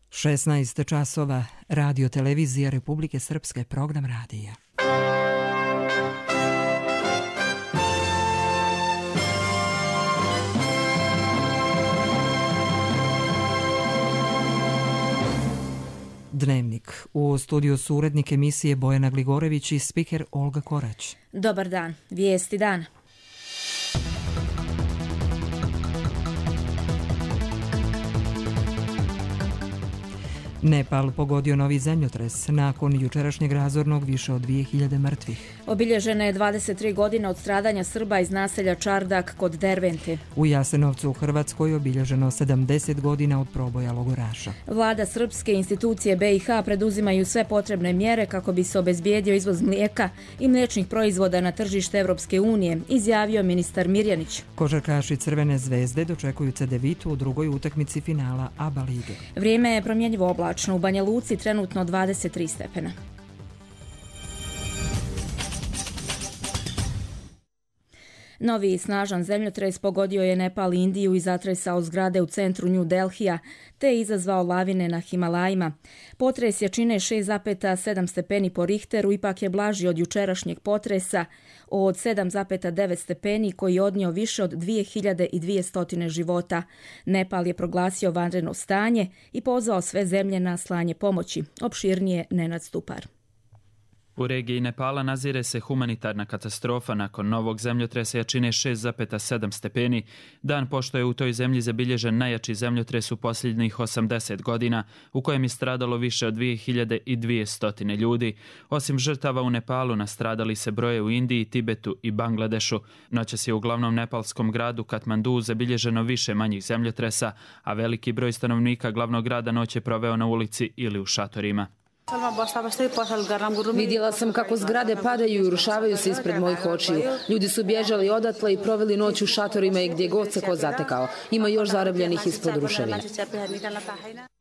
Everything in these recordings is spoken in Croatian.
16 časova, Radio Televizija Republike Srpske, program radija. Dnevnik. U studiju su urednik emisije Bojana Gligorević i spiker Olga Korać. Dobar dan. Vijesti dana. Nepal pogodio novi zemljotres. Nakon jučerašnjeg razornog više od 2000 mrtvih. Obilježena je 23 godine od stradanja Srba iz naselja Čardak kod Dervente. U Jasenovcu u Hrvatskoj obilježeno 70 godina od proboja logoraša. Vlada srpske institucije BiH preduzimaju sve potrebne mjere kako bi se obezbijedio izvoz mlijeka i mliječnih proizvoda na tržište Europske unije, izjavio ministar Mirjanić. Košarkaši Crvene zvezde dočekuju Cedevitu u drugoj utakmici finala ABA lige. Vrijeme je promjenjivo oblačno. U Banja Luci trenutno 23 stepena. Novi snažan zemljotres pogodio je Nepal i Indiju i zatresao zgrade u centru New Delhija, te izazvao lavine na Himalajima. Potres jačine 6,7 stepeni po Richteru ipak je blaži od jučerašnjeg potresa od 7,9 stepeni koji je odnio više od 2200 života. Nepal je proglasio vanredno stanje i pozvao sve zemlje na slanje pomoći. Opširnije Nenad Stupar. U regiji Nepala nazire se humanitarna katastrofa nakon novog zemljotresa jačine 6,7 stepeni, dan pošto je u toj zemlji zabilježen najjači zemljotres u posljednjih 80 godina, u kojem je stradalo više od 2200 ljudi. Osim žrtava u Nepalu, nastradali se broje u Indiji, Tibetu i Bangladešu. Noćas je u glavnom nepalskom gradu Katmandu zabilježeno više manjih zemljotresa, a veliki broj stanovnika glavnog grada noć je proveo na ulici ili u šatorima. Vidjela sam kako zgrade padaju i urušavaju se ispred mojih očiju. Ljudi su bježali odatle i proveli noć u šatorima i gdje god se ko zatekao. Ima još zarobljenih ispod ruševina.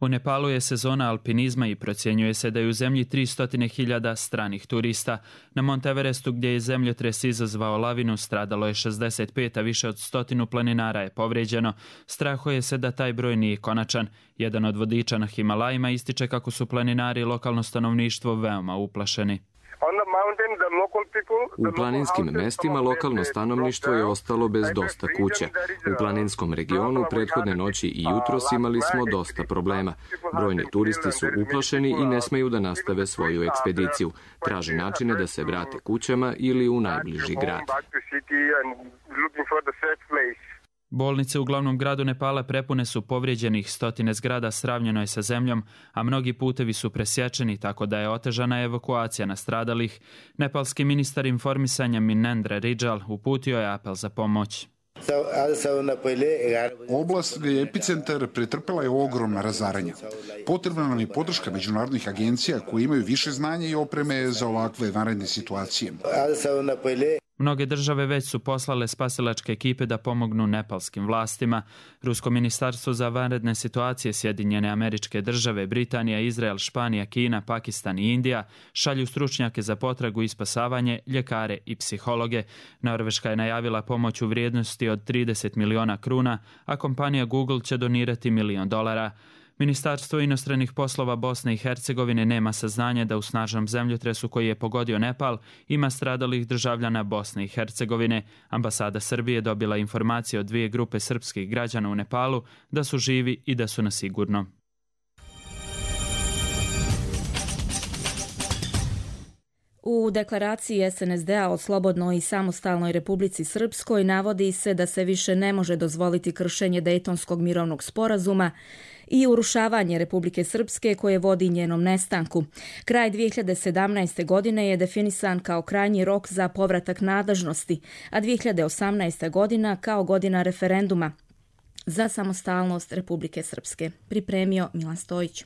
U Nepalu je sezona alpinizma i procjenjuje se da je u zemlji 300.000 stranih turista. Na Mont Everestu, gdje je zemljotres izazvao lavinu, stradalo je 65, a više od 100 planinara je povrijeđeno. Strahuje se da taj broj nije konačan. Jedan od vodiča na Himalajima ističe kako su planinari i lokalno stanovništvo veoma uplašeni. U planinskim mestima lokalno stanovništvo je ostalo bez dosta kuća. U planinskom regionu prethodne noći i jutros imali smo dosta problema. Brojni turisti su uplašeni i ne smeju da nastave svoju ekspediciju. Traže načine da se vrate kućama ili u najbliži grad. Bolnice u glavnom gradu Nepala prepune su povrijeđenih, stotine zgrada sravnjeno je sa zemljom, a mnogi putevi su presječeni, tako da je otežana evakuacija nastradalih. Nepalski ministar informisanja Minendra Rijal uputio je apel za pomoć. Oblast gdje je epicentar pretrpela je ogromna razaranja. Potrebna nam je podrška međunarodnih agencija koji imaju više znanja i opreme za ovakve vanredne situacije. Mnoge države već su poslale spasilačke ekipe da pomognu nepalskim vlastima. Rusko ministarstvo za vanredne situacije, Sjedinjene Američke Države, Britanija, Izrael, Španija, Kina, Pakistan i Indija šalju stručnjake za potragu i spasavanje, ljekare i psihologe. Norveška je najavila pomoć u vrijednosti od 30 miliona kruna, a kompanija Google će donirati $1 milion. Ministarstvo inostranih poslova Bosne i Hercegovine nema saznanja da u snažnom zemljotresu koji je pogodio Nepal ima stradalih državljana Bosne i Hercegovine. Ambasada Srbije dobila informacije od 2 grupe srpskih građana u Nepalu da su živi i da su na sigurno. U deklaraciji SNSD-a o slobodnoj i samostalnoj Republici Srpskoj navodi se da se više ne može dozvoliti kršenje Dejtonskog mirovnog sporazuma i urušavanje Republike Srpske koje vodi njenom nestanku. Kraj 2017. godine je definisan kao krajnji rok za povratak nadležnosti, a 2018. godina kao godina referenduma za samostalnost Republike Srpske. Pripremio Milan Stojić.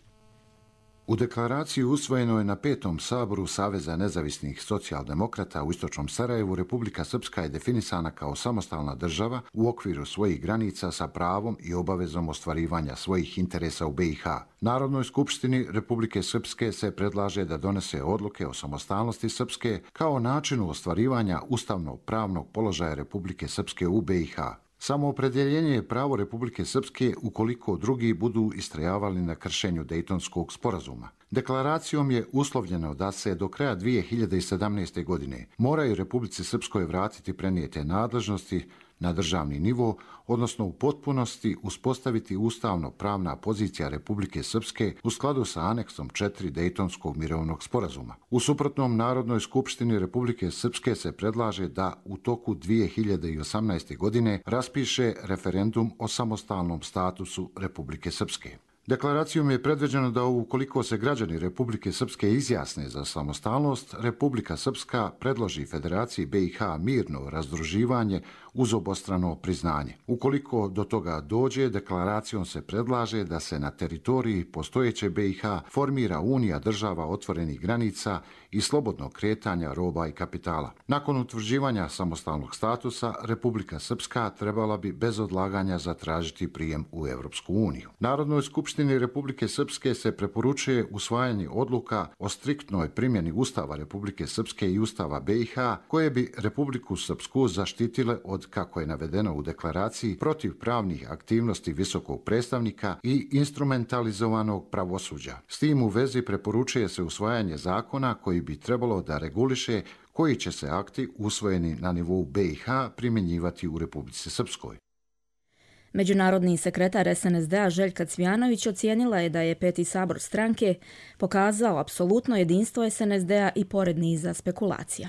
U deklaraciji usvojeno je na 5. saboru Saveza nezavisnih socijaldemokrata u istočnom Sarajevu. Republika Srpska je definisana kao samostalna država u okviru svojih granica sa pravom i obavezom ostvarivanja svojih interesa u BiH. Narodnoj skupštini Republike Srpske se predlaže da donese odluke o samostalnosti Srpske kao načinu ostvarivanja ustavno-pravnog položaja Republike Srpske u BiH. Samoopredjeljenje je pravo Republike Srpske ukoliko drugi budu istrajavali na kršenju Dejtonskog sporazuma. Deklaracijom je uslovljeno da se do kraja 2017. godine moraju Republici Srpskoj vratiti prenijete nadležnosti na državni nivo, odnosno u potpunosti uspostaviti ustavno-pravna pozicija Republike Srpske u skladu sa aneksom 4 Dejtonskog mirovnog sporazuma. U suprotnom, Narodnoj skupštini Republike Srpske se predlaže da u toku 2018. godine raspiše referendum o samostalnom statusu Republike Srpske. Deklaracijom je predviđeno da ukoliko se građani Republike Srpske izjasne za samostalnost, Republika Srpska predloži Federaciji BiH mirno razdruživanje uz obostrano priznanje. Ukoliko do toga dođe, deklaracijom se predlaže da se na teritoriji postojeće BiH formira unija država otvorenih granica i slobodnog kretanja roba i kapitala. Nakon utvrđivanja samostalnog statusa, Republika Srpska trebala bi bez odlaganja zatražiti prijem u Europsku uniju. Narodnoj skupštini Republike Srpske se preporučuje usvajanje odluka o striktnoj primjeni Ustava Republike Srpske i Ustava BiH, koje bi Republiku Srpsku zaštitile od, kako je navedeno u deklaraciji, protiv pravnih aktivnosti visokog predstavnika i instrumentalizovanog pravosuđa. S tim u vezi preporučuje se usvajanje zakona koji bi trebalo da reguliše koji će se akti usvojeni na nivou BiH primjenjivati u Republici Srpskoj. Međunarodni sekretar SNSD-a Željka Cvijanović ocijenila je da je 5. sabor stranke pokazao apsolutno jedinstvo SNSD-a i pored niza spekulacija.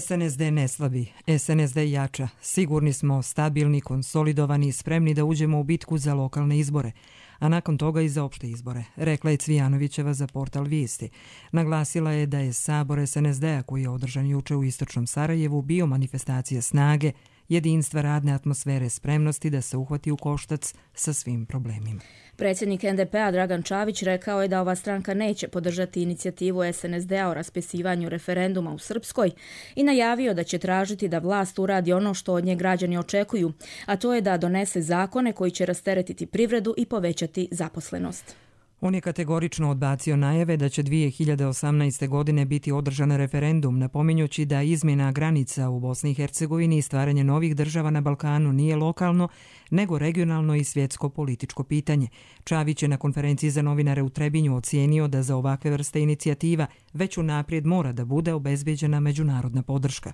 SNSD ne slabi, SNSD jača. Sigurni smo, stabilni, konsolidovani i spremni da uđemo u bitku za lokalne izbore, a nakon toga i za opšte izbore, rekla je Cvijanovićeva za portal Vijesti. Naglasila je da je sabor SNSD-a koji je održan juče u istočnom Sarajevu bio manifestacija snage, jedinstva, radne atmosfere, spremnosti da se uhvati u koštac sa svim problemima. Predsjednik NDP-a Dragan Čavić rekao je da ova stranka neće podržati inicijativu SNSD-a o raspisivanju referenduma u Srpskoj i najavio da će tražiti da vlast uradi ono što od nje građani očekuju, a to je da donese zakone koji će rasteretiti privredu i povećati zaposlenost. On je kategorično odbacio najave da će 2018. godine biti održan referendum, napominjući da izmjena granica u Bosni i Hercegovini i stvaranje novih država na Balkanu nije lokalno, nego regionalno i svjetsko političko pitanje. Čavić je na konferenciji za novinare u Trebinju ocijenio da za ovakve vrste inicijativa već unaprijed mora da bude obezbeđena međunarodna podrška.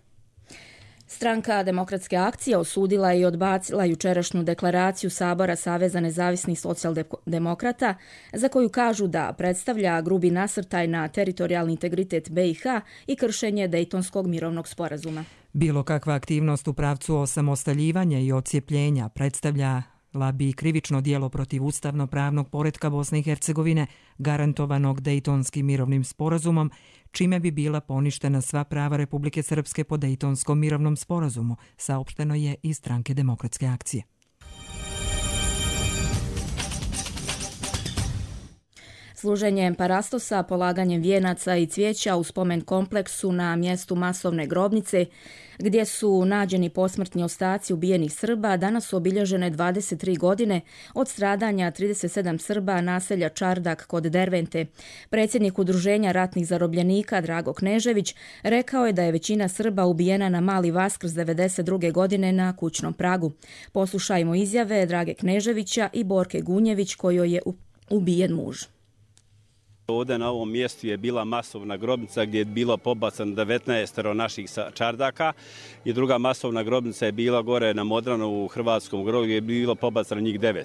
Stranka Demokratske akcije osudila i odbacila jučerašnju deklaraciju Sabora Saveza nezavisnih socijaldemokrata, za koju kažu da predstavlja grubi nasrtaj na teritorijalni integritet BiH i kršenje Dejtonskog mirovnog sporazuma. Bilo kakva aktivnost u pravcu osamostaljivanja i odcijepljenja predstavlja bi krivično djelo protiv ustavno-pravnog poretka Bosne i Hercegovine, garantovanog Dejtonskim mirovnim sporazumom, čime bi bila poništena sva prava Republike Srpske po Dejtonskom mirovnom sporazumu, saopšteno je iz Stranke Demokratske akcije. Služenjem parastosa, polaganjem vijenaca i cvijeća u spomen kompleksu na mjestu masovne grobnice, gdje su nađeni posmrtni ostaci ubijenih Srba, danas su obilježene 23 godine od stradanja 37 Srba naselja Čardak kod Dervente. Predsjednik Udruženja ratnih zarobljenika Drago Knežević rekao je da je većina Srba ubijena na Mali Vaskrs 92. godine na kućnom pragu. Poslušajmo izjave Drage Kneževića i Borke Gunjević, kojoj je ubijen muž. Ovdje na ovom mjestu je bila masovna grobnica gdje je bilo pobacano 19 naših Čardaka i druga masovna grobnica je bila gore na Modranu u Hrvatskom grobu gdje je bilo pobacano njih 9.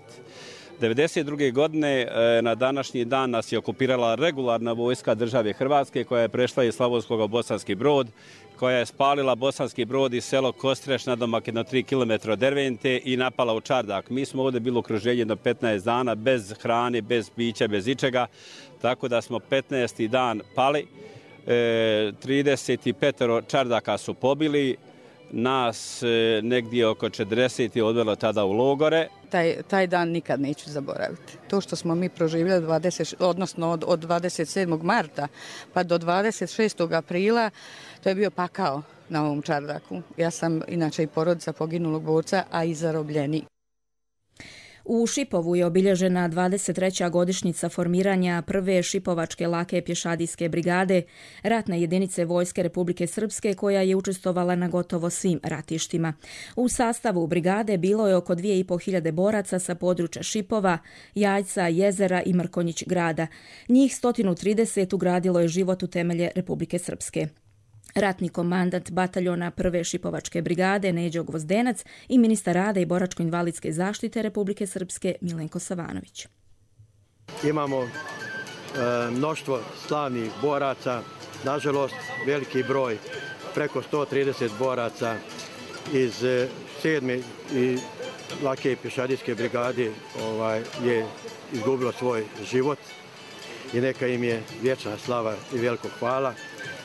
1992. godine na današnji dan nas je okupirala regularna vojska države Hrvatske koja je prešla iz Slavonskog u Bosanski Brod, koja je spalila Bosanski Brod i selo Kostreš nadomak jedno 3 km od Dervente i napala u Čardak. Mi smo ovdje bili okruženje do 15 dana bez hrane, bez pića, bez ičega, tako da smo 15. dan pali. 35 Čardaka su pobili, nas negdje oko 40 je odvelo tada u logore. Taj dan nikad neću zaboraviti. To što smo mi proživjeli od 27. marta pa do 26. aprila, to je bio pakao na ovom Čardaku. Ja sam inače i porodica poginulog borca, a i zarobljenik. U Šipovu je obilježena 23. godišnjica formiranja prve šipovačke lake pješadijske brigade, ratne jedinice Vojske Republike Srpske koja je učestvovala na gotovo svim ratištima. U sastavu brigade bilo je oko 2500 boraca sa područja Šipova, Jajca, Jezera i Mrkonjić grada. Njih 130 ugradilo je život u temelje Republike Srpske. Ratni komandant bataljona prve šipovačke brigade Neđo Gvozdenac i ministar rada i boračko-invalidske zaštite Republike Srpske Milenko Savanović. Imamo mnoštvo slavnih boraca, nažalost veliki broj, preko 130 boraca iz 7. i lake pješadijske brigade je izgubilo svoj život i neka im je vječna slava i veliko hvala.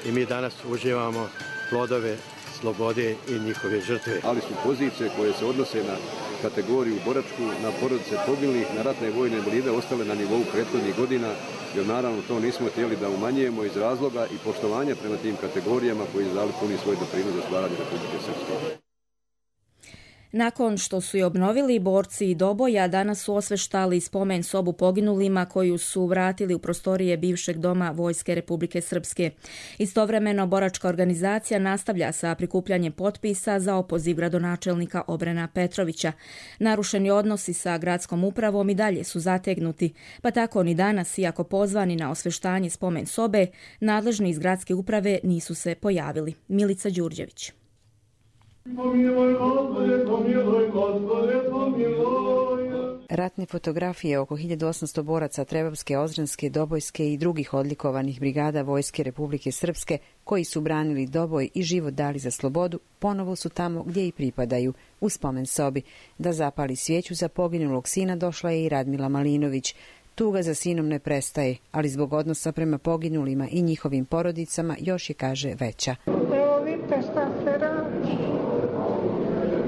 I mi danas uživamo plodove slobode i njihove žrtve. Ali su pozicije koje se odnose na kategoriju boračku, na porodice poginulih, na ratne vojne invalide ostale na nivou prethodnih godina, jer naravno to nismo htjeli da umanjujemo iz razloga i poštovanja prema tim kategorijama koji dali puni svoj doprinos za stvaranje Republike Srpske. Nakon što su je obnovili, borci Doboja danas su osveštali spomen sobu poginulima koju su vratili u prostorije bivšeg doma Vojske Republike Srpske. Istovremeno, boračka organizacija nastavlja sa prikupljanjem potpisa za opoziv gradonačelnika Obrena Petrovića. Narušeni odnosi sa gradskom upravom i dalje su zategnuti, pa tako ni danas, iako pozvani na osveštanje spomen sobe, nadležni iz gradske uprave nisu se pojavili. Milica Đurđević. Ratne fotografije oko 1800 boraca Trebovske, Ozrenske, Dobojske i drugih odlikovanih brigada Vojske Republike Srpske koji su branili Doboj i život dali za slobodu, ponovo su tamo gdje i pripadaju, u spomen sobi. Da zapali svijeću za poginulog sina došla je i Radmila Malinović. Tuga za sinom ne prestaje, ali zbog odnosa prema poginulima i njihovim porodicama još je, kaže, veća. Evo vidite šta se radi.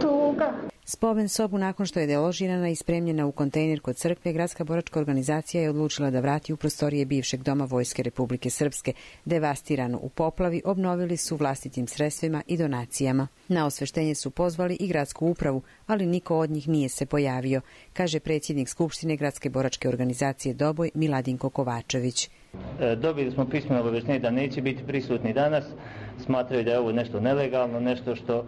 Tuga. Spomen sobu, nakon što je deložirana i spremljena u kontejner kod crkve, gradska boračka organizacija je odlučila da vrati u prostorije bivšeg doma Vojske Republike Srpske. Devastirano u poplavi obnovili su vlastitim sredstvima i donacijama. Na osveštenje su pozvali i gradsku upravu, ali niko od njih nije se pojavio, kaže predsjednik Skupštine gradske boračke organizacije Doboj Miladinko Kovačević. Dobili smo pismeno obavještenje da neće biti prisutni danas. Smatraju da je ovo nešto nelegalno, nešto što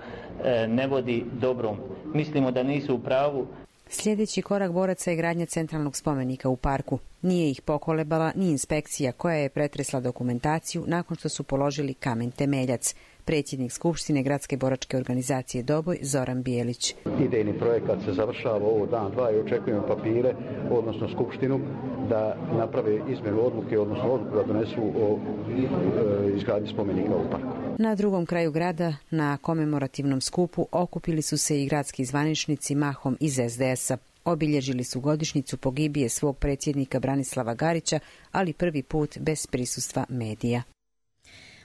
ne vodi dobrom. Mislimo da nisu u pravu. Sljedeći korak boraca je gradnja centralnog spomenika u parku. Nije ih pokolebala ni inspekcija koja je pretresla dokumentaciju nakon što su položili kamen temeljac. Predsjednik Skupštine gradske boračke organizacije Doboj Zoran Bijelić. Idejni projekat se završava ovo dan, dva i očekujemo papire, odnosno Skupštinu, da naprave izmjenu odluke, odnosno odluku da donesu o izgradnji spomenika u parku. Na drugom kraju grada, na komemorativnom skupu, okupili su se i gradski zvaničnici mahom iz SDS-a. Obilježili su godišnjicu pogibije svog predsjednika Branislava Garića, ali prvi put bez prisustva medija.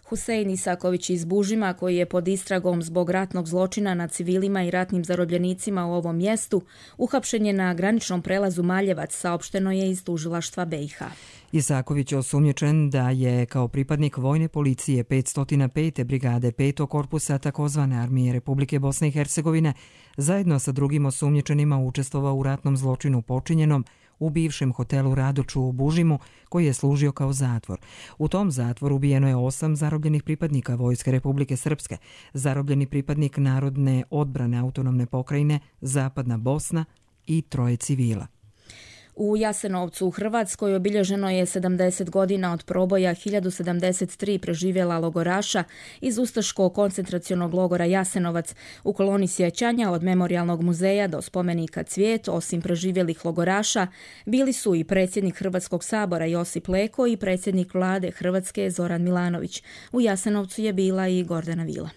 Husein Isaković iz Bužima, koji je pod istragom zbog ratnog zločina nad civilima i ratnim zarobljenicima u ovom mjestu, uhapšen je na graničnom prelazu Maljevac, saopšteno je iz tužilaštva BiH. Isaković je osumnjičen da je kao pripadnik vojne policije 505. brigade 5. korpusa takozvane armije Republike Bosne i Hercegovine zajedno sa drugim osumnjičenima učestvovao u ratnom zločinu počinjenom u bivšem hotelu Radoču u Bužimu, koji je služio kao zatvor. U tom zatvoru ubijeno je 8 zarobljenih pripadnika Vojske Republike Srpske, zarobljeni pripadnik Narodne odbrane autonomne pokrajine Zapadna Bosna i 3 civila. U Jasenovcu u Hrvatskoj obilježeno je 70 godina od proboja 1073 preživjela logoraša iz ustaškog koncentracionog logora Jasenovac. U koloni sjećanja od Memorijalnog muzeja do spomenika Cvijet, osim preživjelih logoraša, bili su i predsjednik Hrvatskog sabora Josip Leko i predsjednik vlade Hrvatske Zoran Milanović. U Jasenovcu je bila i Gordana Vila.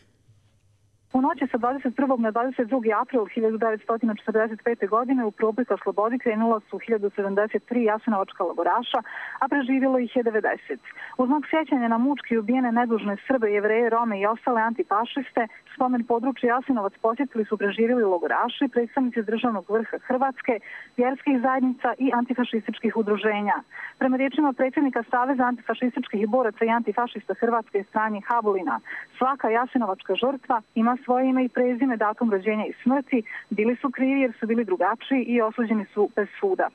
U noći sa 21. na 22. april 1945. godine u proboj ka slobodi krenula su 1073 jasenovačka logoraša, a preživjelo ih je 90. U znak sjećanja na mučki ubijene nedužne Srbe, Jevreje, Rome i ostale antifašiste, spomen područja Jasenovac posjetili su preživjeli logoraši, predstavnici državnog vrha Hrvatske, vjerskih zajednica i antifašističkih udruženja. Prema riječima predsjednika Saveza antifašističkih boraca i antifašista Hrvatske Stranje Habulina, svaka jasenovačka žrtva ima svoje ime i prezime, datum rođenja i smrti, bili su krivi jer su bili drugačiji i osuđeni su bez suda.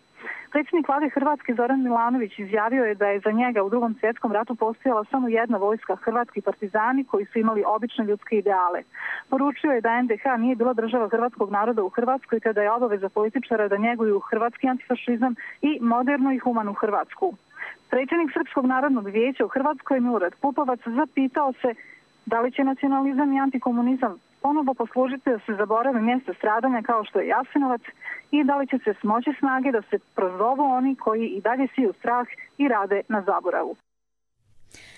Predsjednik vlade Hrvatske Zoran Milanović izjavio je da je za njega u Drugom svjetskom ratu postojala samo jedna vojska, hrvatski partizani koji su imali obične ljudske ideale. Poručio je da NDH nije bila država hrvatskog naroda u Hrvatskoj, te da je obaveza političara da njeguju hrvatski antifašizam i modernu i humanu Hrvatsku. Predsjednik Srpskog narodnog vijeća u Hrvatskoj Milorad Pupovac zapitao se da li će nacionalizam i antikomunizam ponovo poslužiti da se zaborave mjesta stradanja kao što je Jasenovac i da li će se smoći snage da se prozovu oni koji i dalje siju strah i rade na zaboravu.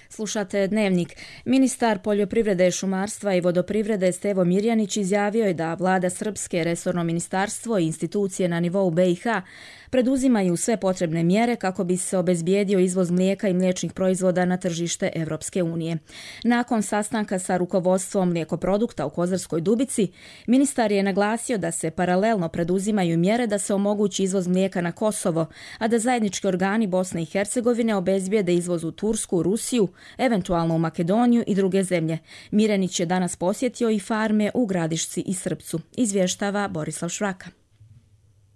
Slušate Dnevnik. Ministar poljoprivrede, šumarstva i vodoprivrede Stevo Mirjanić izjavio je da vlada Srpske, resorno ministarstvo i institucije na nivou BiH preduzimaju sve potrebne mjere kako bi se obezbijedio izvoz mlijeka i mliječnih proizvoda na tržište Evropske unije. Nakon sastanka sa rukovodstvom mlijekoprodukta u Kozarskoj Dubici, ministar je naglasio da se paralelno preduzimaju mjere da se omogući izvoz mlijeka na Kosovo, a da zajednički organi Bosne i Hercegovine obezbijede izvoz u Tursku, Rusiju, eventualno u Makedoniju i druge zemlje. Mirjanić je danas posjetio i farme u Gradišci i Srpcu. Izvještava Borislav Švraka.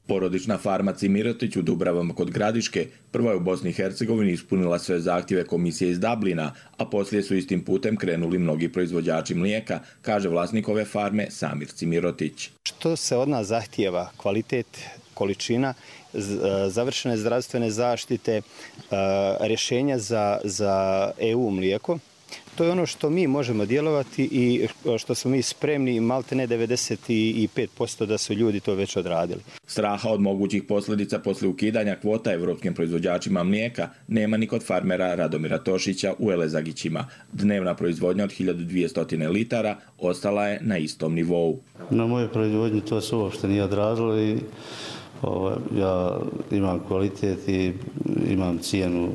Porodična farma Cimirotić u Dubravama kod Gradiške prva je u Bosni i Hercegovini ispunila sve zahtjeve komisije iz Dublina, a poslije su istim putem krenuli mnogi proizvođači mlijeka, kaže vlasnik ove farme Samir Cimirotić. Što se od nas zahtijeva? Kvalitet, količina, završene zdravstvene zaštite, rješenja za EU mlijeko. To je ono što mi možemo djelovati i što smo mi spremni, maltene 95% da su ljudi to već odradili. Straha od mogućih posljedica poslije ukidanja kvota evropskim proizvođačima mlijeka nema ni kod farmera Radomira Tošića u Elezagićima. Dnevna proizvodnja od 1200 litara ostala je na istom nivou. Na moje proizvodnji to se uopšte nije odrazilo i ja imam kvalitet i imam cijenu,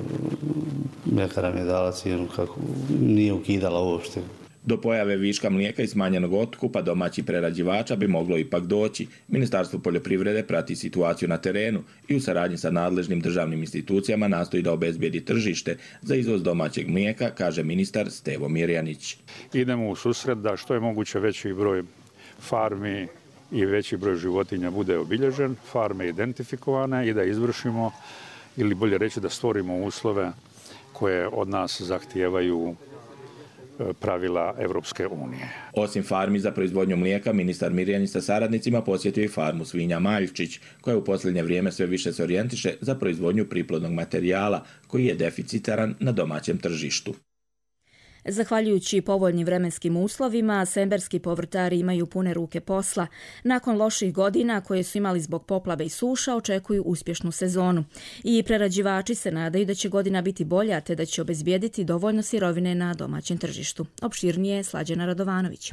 mljekara mi je dala cijenu kako nije ukidala uopšte. Do pojave viška mlijeka i smanjenog otkupa domaćih prerađivača bi moglo ipak doći. Ministarstvo poljoprivrede prati situaciju na terenu i u saradnji sa nadležnim državnim institucijama nastoji da obezbijedi tržište za izvoz domaćeg mlijeka, kaže ministar Stevo Mirjanić. Idemo u susret da što je moguće veći broj farmi i veći broj životinja bude obilježen, farme identifikovane i da izvršimo, ili bolje reći da stvorimo uslove koje od nas zahtijevaju pravila Evropske unije. Osim farmi za proizvodnju mlijeka, ministar Mirjanić sa saradnicima posjetio i farmu svinja Maljčić, koja u posljednje vrijeme sve više se orijentiše za proizvodnju priplodnog materijala, koji je deficitaran na domaćem tržištu. Zahvaljujući povoljnim vremenskim uslovima, semberski povrtari imaju pune ruke posla. Nakon loših godina koje su imali zbog poplave i suša, očekuju uspješnu sezonu. I prerađivači se nadaju da će godina biti bolja, te da će obezbijediti dovoljno sirovine na domaćem tržištu. Opširnije Slađana Radovanović.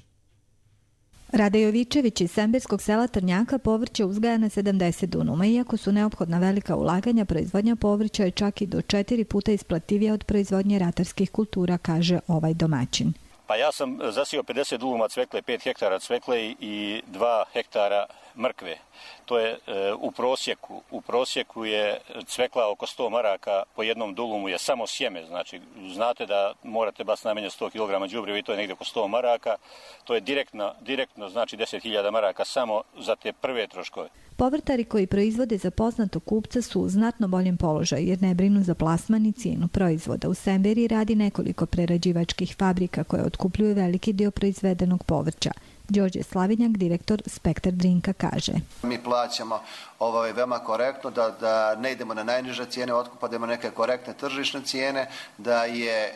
Rade Jovičević iz semberskog sela Trnjaka povrće uzgaja na 70 dunuma. Iako su neophodna velika ulaganja, proizvodnja povrća je čak i do 4 puta isplativija od proizvodnje ratarskih kultura, kaže ovaj domaćin. Pa ja sam zasio 50 dunuma cvekle, 5 hektara cvekle i 2 hektara mrkve. To je u prosjeku. U prosjeku je cvekla oko 100 maraka, po jednom dulumu je samo sjeme. Znači, znate da morate bas najmanje 100 kg đubriva i to je negdje oko 100 maraka. To je direktno znači 10.000 maraka samo za te prve troškove. Povrtari koji proizvode za poznatog kupca su u znatno boljem položaju jer ne brinu za plasman i cijenu proizvoda. U Semberi radi nekoliko prerađivačkih fabrika koje otkupljuju veliki dio proizvedenog povrća. Đorđe Slavinjak, direktor Spektar Drinka, kaže. Mi plaćamo veoma korektno, da ne idemo na najniže cijene otkupa, da imamo neke korektne tržišne cijene, da je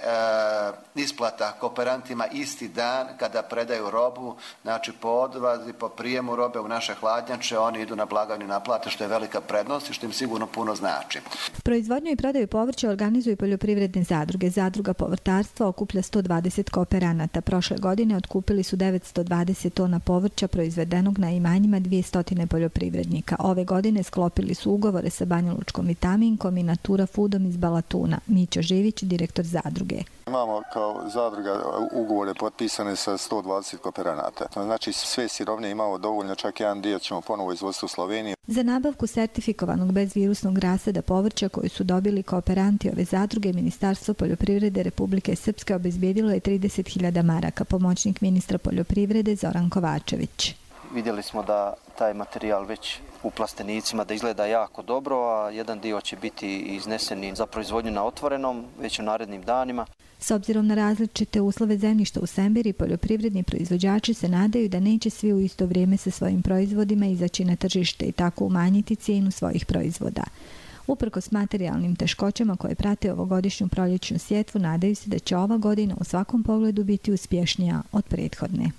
isplata kooperantima isti dan kada predaju robu, znači po odvazi, po prijemu robe u naše hladnjače, oni idu na blagajnu naplate, što je velika prednost i što im sigurno puno znači. Proizvodnju i prodaju povrća organizuju poljoprivredne zadruge. Zadruga povrtarstva okuplja 120 kooperanata. Prošle godine otkupili su 920 tona povrća proizvedenog na imanjima 200 poljoprivrednika. Ove godine sklopili su ugovore sa Banjalučkom Vitaminkom i Natura Foodom iz Balatuna. Mićo Živić, direktor zadruge. Imamo kao zadruga ugovore potpisane sa 120 kooperanata. Znači sve sirovine imamo dovoljno, čak jedan dio ćemo ponovo izvoziti u Sloveniju. Za nabavku sertifikovanog bezvirusnog rasada povrća koju su dobili kooperanti ove zadruge, Ministarstvo poljoprivrede Republike Srpske obezbijedilo je 30.000 maraka, pomoćnik ministra poljoprivrede Zoran Kovačević. Vidjeli smo da taj materijal već u plastenicima da izgleda jako dobro, a jedan dio će biti izneseni za proizvodnju na otvorenom već u narednim danima. S obzirom na različite uslove zemljišta u Semberi, poljoprivredni proizvođači se nadaju da neće svi u isto vrijeme sa svojim proizvodima izaći na tržište i tako umanjiti cijenu svojih proizvoda. Uprkos materijalnim teškoćama koje prate ovogodišnju proljećnu sjetvu, nadaju se da će ova godina u svakom pogledu biti uspješnija od prethodne.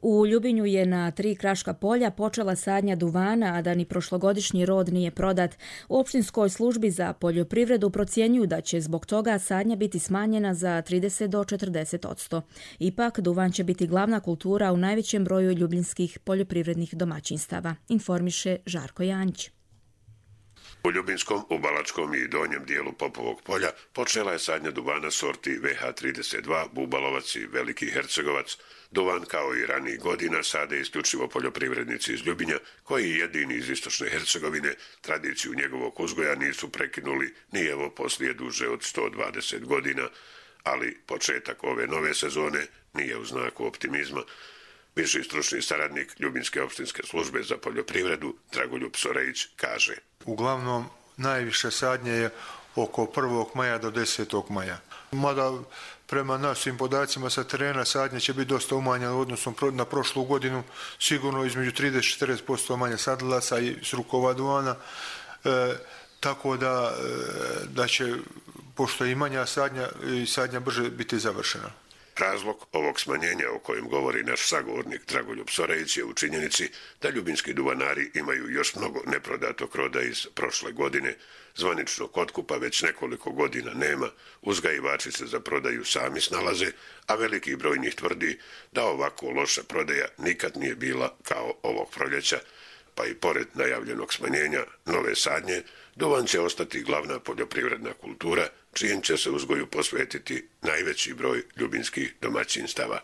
U Ljubinju je na 3 kraška polja počela sadnja duvana, a da ni prošlogodišnji rod nije prodat. U opštinskoj službi za poljoprivredu procjenjuju da će zbog toga sadnja biti smanjena za 30 do 40%. Ipak, duvan će biti glavna kultura u najvećem broju ljubinskih poljoprivrednih domaćinstava, informiše Žarko Janjić. U Ljubinskom, u Balačkom i donjem dijelu Popovog polja počela je sadnja duvana sorti VH32, Bubalovac i Veliki Hercegovac. Duvan, kao i ranijih godina, sade isključivo poljoprivrednici iz Ljubinja, koji jedini iz istočne Hercegovine tradiciju njegovog uzgoja nisu prekinuli ni evo poslije duže od 120 godina, ali početak ove nove sezone nije u znaku optimizma. Viši stručni saradnik Ljubinske opštinske službe za poljoprivredu Dragoljub Sorejić kaže: Uglavnom, najviše sadnje je oko 1. maja do 10. maja. Mada prema našim podacima sa terena sadnje će biti dosta umanjeno u odnosu na prošlu godinu, sigurno između 30-40% manje sadlaca i srukova duvana, tako da će, pošto je i manja sadnja brže biti završena. Razlog ovog smanjenja o kojem govori naš sagovornik Dragoljub Sorejić je u činjenici da ljubinski duvanari imaju još mnogo neprodatog roda iz prošle godine. Zvaničnog otkupa već nekoliko godina nema, uzgajivači se za prodaju sami snalaze, a veliki broj njih tvrdi da ovako loša prodaja nikad nije bila kao ovog proljeća, pa i pored najavljenog smanjenja nove sadnje, duvan će ostati glavna poljoprivredna kultura, čijem će se uzgoju posvetiti najveći broj ljubinskih domaćinstava.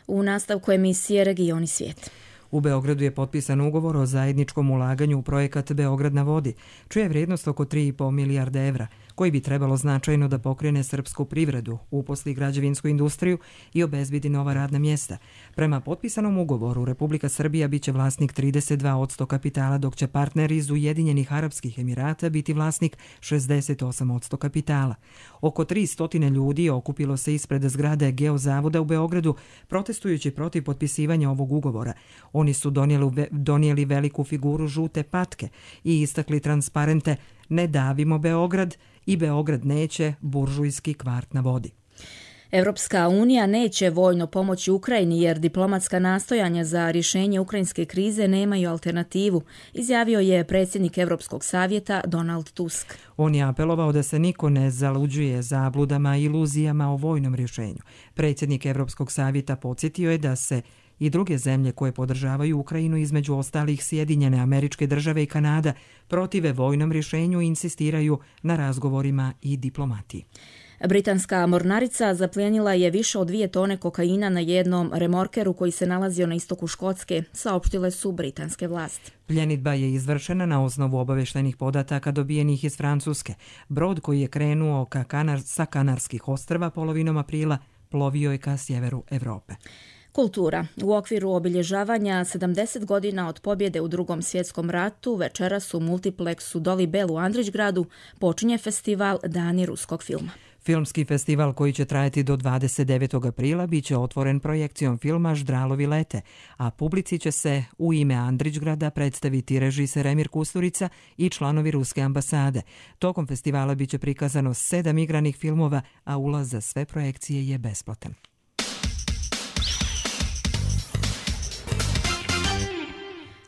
U nastavku emisije Regioni svijet. U Beogradu je potpisan ugovor o zajedničkom ulaganju u projekat Beograd na vodi, čija je vrijednost oko 3,5 milijarde evra, koji bi trebalo značajno da pokrene srpsku privredu, uposli građevinsku industriju i obezbedi nova radna mjesta. Prema potpisanom ugovoru, Republika Srbija biće vlasnik 32% kapitala, dok će partner iz Ujedinjenih Arapskih Emirata biti vlasnik 68% kapitala. Oko 300 ljudi okupilo se ispred zgrade Geozavoda u Beogradu, protestujući protiv potpisivanja ovog ugovora. Oni su donijeli veliku figuru žute patke i istakli transparente "Ne davimo Beograd" i "Beograd neće, buržujski kvart na vodi". Europska unija neće vojno pomoći Ukrajini jer diplomatska nastojanja za rješenje ukrajinske krize nemaju alternativu, izjavio je predsjednik Europskog savjeta Donald Tusk. On je apelovao da se niko ne zaluđuje zabludama i iluzijama o vojnom rješenju. Predsjednik Europskog savjeta podsjetio je da se i druge zemlje koje podržavaju Ukrajinu, između ostalih Sjedinjene Američke Države i Kanada, protive vojnom rješenju i insistiraju na razgovorima i diplomatiji. Britanska mornarica zaplijenila je više od 2 tone kokaina na jednom remorkeru koji se nalazio na istoku Škotske, saopštile su britanske vlasti. Pljenidba je izvršena na osnovu obavještajnih podataka dobijenih iz Francuske. Brod koji je krenuo sa Kanarskih ostrva polovinom aprila plovio je ka sjeveru Evrope. Kultura. U okviru obilježavanja 70 godina od pobjede u Drugom svjetskom ratu večeras u multipleksu Doli Bell u Andrićgradu počinje festival Dani ruskog filma. Filmski festival koji će trajati do 29. aprila biće otvoren projekcijom filma Ždralovi lete, a publici će se u ime Andrićgrada predstaviti režiser Emir Kusturica i članovi ruske ambasade. Tokom festivala biće prikazano 7 igranih filmova, a ulaz za sve projekcije je besplatan.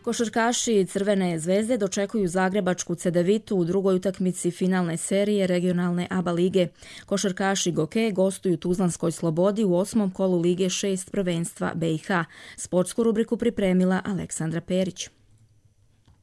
Košarkaši Crvene zvezde dočekuju zagrebačku Cedevitu u drugoj utakmici finalne serije regionalne ABA lige. Košarkaši Goke gostuju Tuzlanskoj Slobodi u 8. kolu Lige 6 prvenstva BiH. Sportsku rubriku pripremila Aleksandra Perić.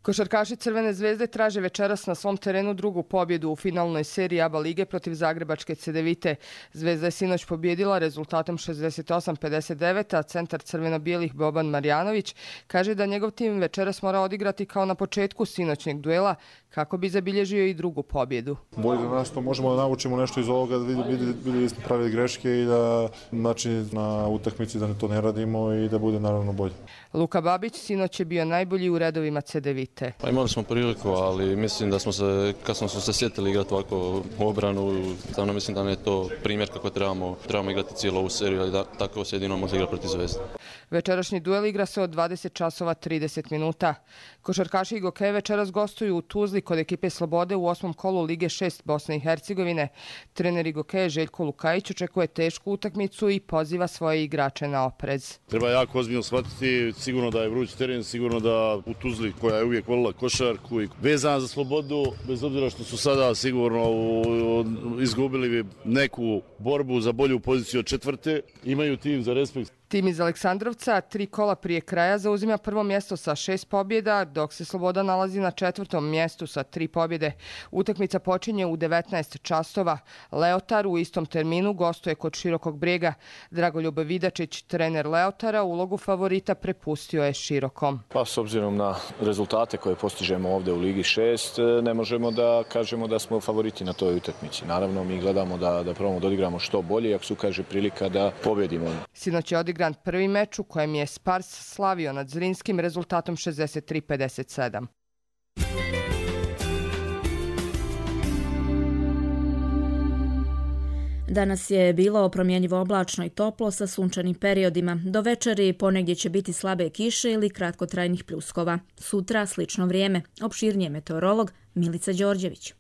Košarkaši Crvene zvezde traže večeras na svom terenu drugu pobjedu u finalnoj seriji ABA lige protiv zagrebačke Cedevite. Zvezda je sinoć pobjedila rezultatom 68-59, a centar crveno-bijelih Boban Marjanović kaže da njegov tim večeras mora odigrati kao na početku sinoćnjeg duela kako bi zabilježio i drugu pobjedu. Bolje za nas to možemo da naučimo nešto iz ovoga, da vidjeli smo prave greške i da na utakmici da to ne radimo i da bude naravno bolje. Luka Babić sinoć je bio najbolji u redovima Cedevite. Pa imali smo priliku, ali mislim da smo se, kad smo se sjetili igrati ovako u obranu, stvarno mislim da je to primjer kako trebamo igrati cijelu ovu seriju, ali da tako se jedino može igrati protiv Zvezde. Večerašnji duel igra se od 20 časova 30 minuta. Košarkaši Goke večeras gostuju u Tuzli kod ekipe Slobode u 8. kolu Lige 6 Bosne i Hercegovine. Trener Goke Željko Lukajić očekuje tešku utakmicu i poziva svoje igrače na oprez. Treba jako ozbiljno shvatiti, sigurno da je vruć teren, sigurno da u Tuzli koja je uvijek volila košarku i vezana za Slobodu, bez obzira što su sada sigurno izgubili neku borbu za bolju poziciju od četvrte, imaju tim za respekt. Tim iz Aleksandrovca 3 kola prije kraja zauzima prvo mjesto sa 6 pobjeda, dok se Sloboda nalazi na 4. mjestu sa 3 pobjede. Utakmica počinje u 19 časova. Leotar u istom terminu gostuje kod Širokog Brijega. Dragoljub Vidačić, trener Leotara, ulogu favorita prepustio je Širokom. Pa s obzirom na rezultate koje postižemo ovdje u Ligi 6, ne možemo da kažemo da smo favoriti na toj utakmici. Naravno, mi gledamo da probamo da odigramo što bolje, ako se ukaže prilika da pobjedimo. Sinoć je odigran prvi meč u kojem je Spars slavio nad Zrinskim rezultatom 63-57. Danas je bilo promjenjivo oblačno i toplo sa sunčanim periodima. Do večeri ponegdje će biti slabe kiše ili kratkotrajnih pljuskova. Sutra slično vrijeme. Opširnije meteorolog Milica Đorđević.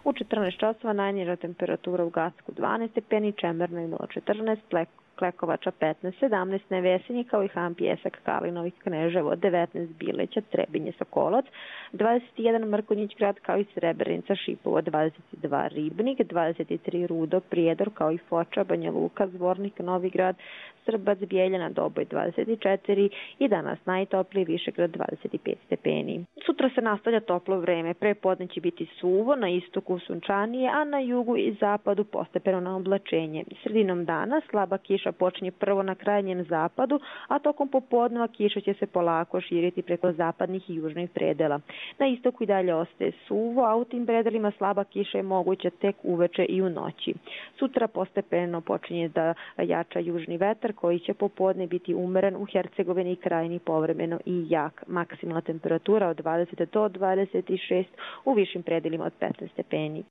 U 14 časova najniža temperatura u Gacku 12 stepeni, Čemernoj 0,14, Klekovača 15, 17 Nevesinji kao i Han Pjesak, Kalinovih, Kneževo 19, Bileća, Trebinje, Sokolac 21 Mrkonjić grad kao i Srebrenica, Šipovo 22 Ribnik, 23 Rudo, Prijedor kao i Foča, Banja Luka, Zvornik, Novigrad, Srbac, Bijeljana, Doboj 24 i danas najtopliji Višegrad 25 stepeni. Sutra se nastavlja toplo vreme, prepodne će biti suvo, na istoku sunčanije, a na jugu i zapadu postepeno na oblačenje. Sredinom dana slaba kiša počinje prvo na krajnjem zapadu, a tokom popodneva kiša će se polako širiti preko zapadnih i južnih predela. Na istoku i dalje ostaje suvo, a u tim predelima slaba kiša je moguća tek uveče i u noći. Sutra postepeno počinje da jača južni vetar koji će popodne biti umeren u Hercegovini i Krajini povremeno i jak. Maksimalna temperatura od 20 do 26, u višim predelima od 15 stepeni.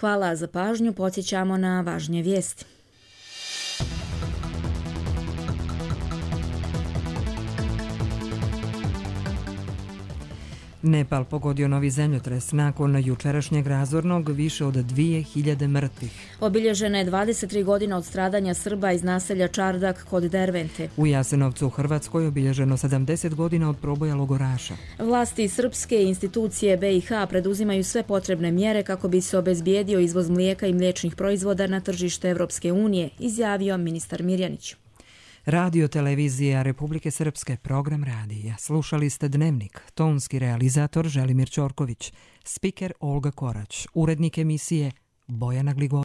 Hvala za pažnju, podsjećamo na važnije vijesti. Nepal pogodio novi zemljotres. Nakon jučerašnjeg razornog više od 2000 mrtvih. Obilježena je 23 godina od stradanja Srba iz naselja Čardak kod Dervente. U Jasenovcu u Hrvatskoj obilježeno 70 godina od proboja logoraša. Vlasti srpske institucije BiH preduzimaju sve potrebne mjere kako bi se obezbijedio izvoz mlijeka i mliječnih proizvoda na tržište Evropske unije, izjavio ministar Mirjanić. Radio televizija Republike Srpske, program radija. Slušali ste Dnevnik, tonski realizator Želimir Ćorković, spiker Olga Korać, urednik emisije Bojana Gligo.